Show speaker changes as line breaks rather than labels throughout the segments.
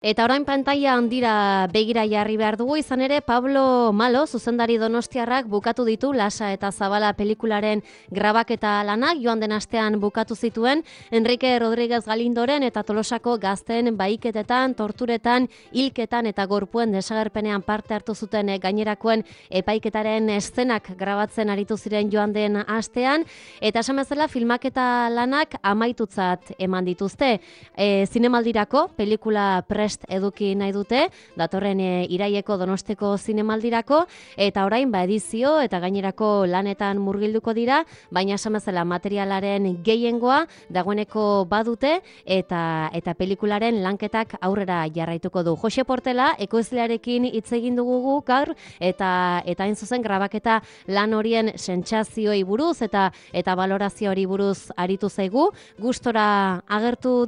Eta orain pantaila handira begira jarri behar dugu, izan ere Pablo Malo, zuzendari donostiarrak bukatu ditu Lasa eta Zabala pelikularen grabaketa lanak, joan den astean bukatu zituen, Enrique Rodríguez Galindoren eta Tolosako gazten bahiketetan, torturetan, hilketan eta gorpuen desagerpenean parte hartu zuten gainerakoen epaiketaren eszenak grabatzen aritu ziren joan den astean, eta esan bezala filmaketa lanak amaitutzat eman dituzte. Zinemaldirako pelikula prest eduki nahi dute, datorren iraieko Donosteko zinemaldirako, eta orain edizio eta gainerako lanetan murgilduko dira, baina esan bezala materialaren gehiengoa dagoeneko badute eta pelikularen lanketak aurrera jarraituko du. Jose Portela, ekoizlearekin hitz egin dugu gaur, eta hain zuzen grabaketa lan horien sentsazioei buruz eta balorazioari buruz aritu zaigu. Gustora agertu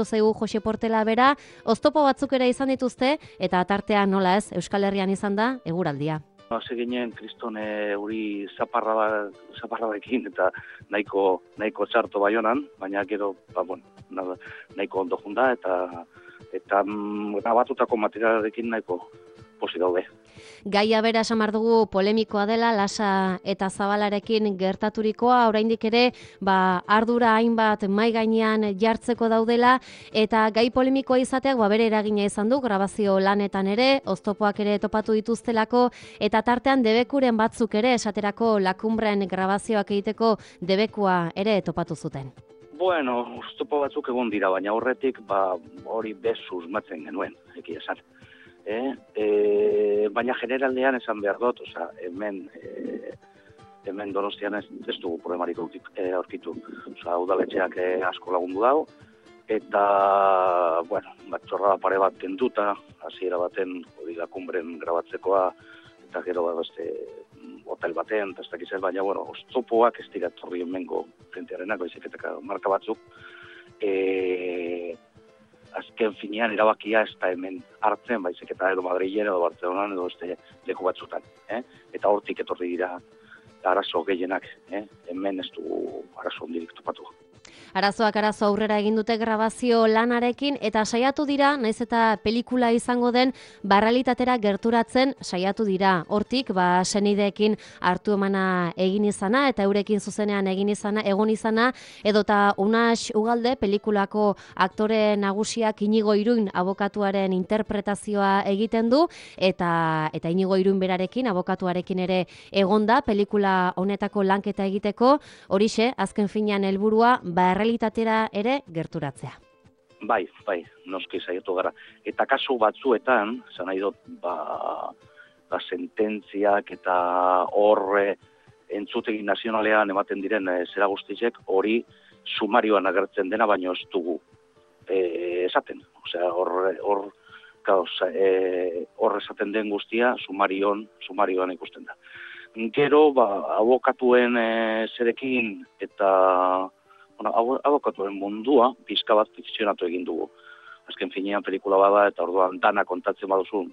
zaigu Jose Portela bera, oztopo batzuk ere izan dituzte, eta tartean nola ez, Euskal Herrian izan da, eguraldia.
Hasi ginen kriston uri zaparradekin eta nahiko txarto Baionan, baina gero, nahiko ondo junda eta grabatutako materialarekin nahiko posi daude.
Gaia bera esan behar dugu polemikoa dela, Lasa eta Zabalarekin gertaturikoa, oraindik ere ardura hainbat mahai gainean jartzeko daudela, eta gai polemikoa izateak bere eragina izan du, grabazio lanetan ere, oztopoak ere topatu dituztelako, eta tartean debekuren batzuk ere, esaterako Lakumbren grabazioak egiteko debekua ere topatu zuten.
Bueno, oztopo batzuk egon dira, baina horretik hori bezuz matzen genuen, egia esan. Baina generaldean esan behar dut, hemen Donostian ez dugu problemarik aurkitu. Udaletxeak asko lagundu dago, eta, txorrada pare bat kenduta, hasiera baten hori Lakumbren grabatzekoa, eta gero hotel baten, eta ez dakiz ez, baina, oztopoak ez dira torri hemengo jentearenak, baizik eta marka batzuk, azken finean erabakia ez da hemen hartzen, baizik eta edo Madrilen edo Bartzelonan edo leku batzutan. Eta hortik etorri dira arazo gehienak, hemen ez dugu arazo ondirik topatu.
Arazoak aurrera egin dute grabazio lanarekin, eta saiatu dira, naiz eta pelikula izango den, realitatera gerturatzen saiatu dira. Hortik, senideekin hartu emana egin izana, eta eurekin zuzenean egon izana, edota Unax Ugalde, pelikulako aktore nagusiak Inigo Iruin abokatuaren interpretazioa egiten du, eta Inigo Iruin berarekin, abokatuarekin ere egonda, pelikula honetako lanketa egiteko, horixe, azken finean helburua, realitatera ere gerturatzea.
Bai, noski saiatu gara. Eta kasu batzuetan, esan nahi dut, sententziak eta horre entzutegi nazionalean ematen diren zera guztizek, hori sumarioan agertzen dena, baino ez dugu esaten. Hor esaten den guztia sumarioan ikusten da. Gero, abokatuen zerekin eta abokatuen mundua pizka bat fikzionatu egin dugu. Azken finean pelikula bada eta orduan dana kontatzen baduzu,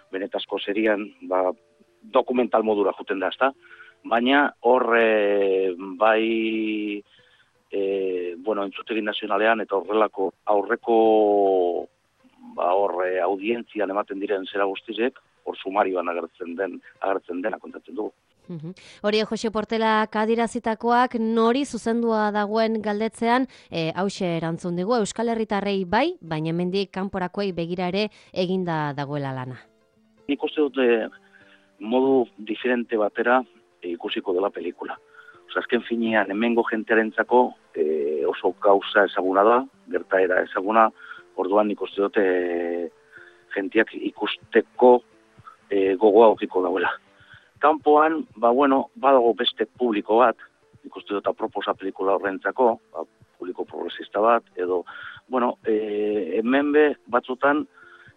benetazko serian dokumental modura juten da, ezta? Baina horre entzutegi nazionalean eta horrelako aurreko audientzian ematen diren zera guztizek, hor sumarioan agertzen dena kontatzen dugu.
Hori Jose Portela adirazitakoak nori zuzendua dagoen galdetzean, hauxe erantzun digu, Euskal Herritarrei bai, baina hemendik kanporakoei begira ere eginda dagoela lana.
Nik uste dut modu diferente batera ikusiko dela pelikula. Azken finean hemengo jentearentzako oso gauza ezaguna da, gertaera ezaguna, orduan nik uste dut jenteak ikusteko gogoa aukiko dauela. Kanpoan, badago beste publiko bat, ikuste dut aproposa pelikula horrentzako, publiko progresista bat, edo, hemen batzutan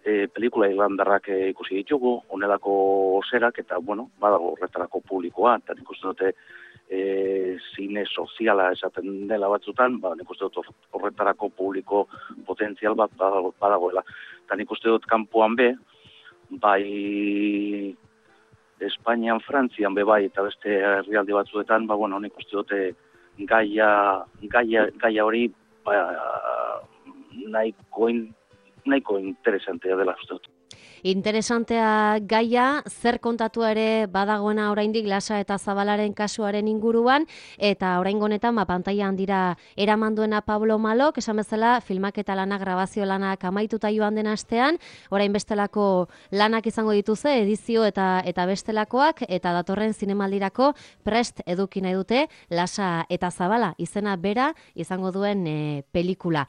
pelikula irlandarrak ikusi ditugu, honelako zerak, eta, badago horretarako publikoa, eta ikuste dute zine soziala esaten dela batzutan, ikuste dut horretarako publiko potentzial bat badagoela. Eta ikuste dut kanpoan bai Espainian, Frantzian bai eta beste herrialde batzuetan, nik uste dute gaia hori nahiko interesantea dela uste dut.
Interesantea gaia, zer kontatu ere badagoena oraindik Lasa eta Zabalaren kasuaren inguruan, eta oraingo honetan pantaila handira eraman duena Pablo Malok, esan bezala filmaketa lanak, grabazio lanak amaituta joan den astean, orain bestelako lanak izango dituze, edizio eta bestelakoak, eta datorren zinemaldirako prest eduki nahi dute Lasa eta Zabala izena bera izango duen pelikula.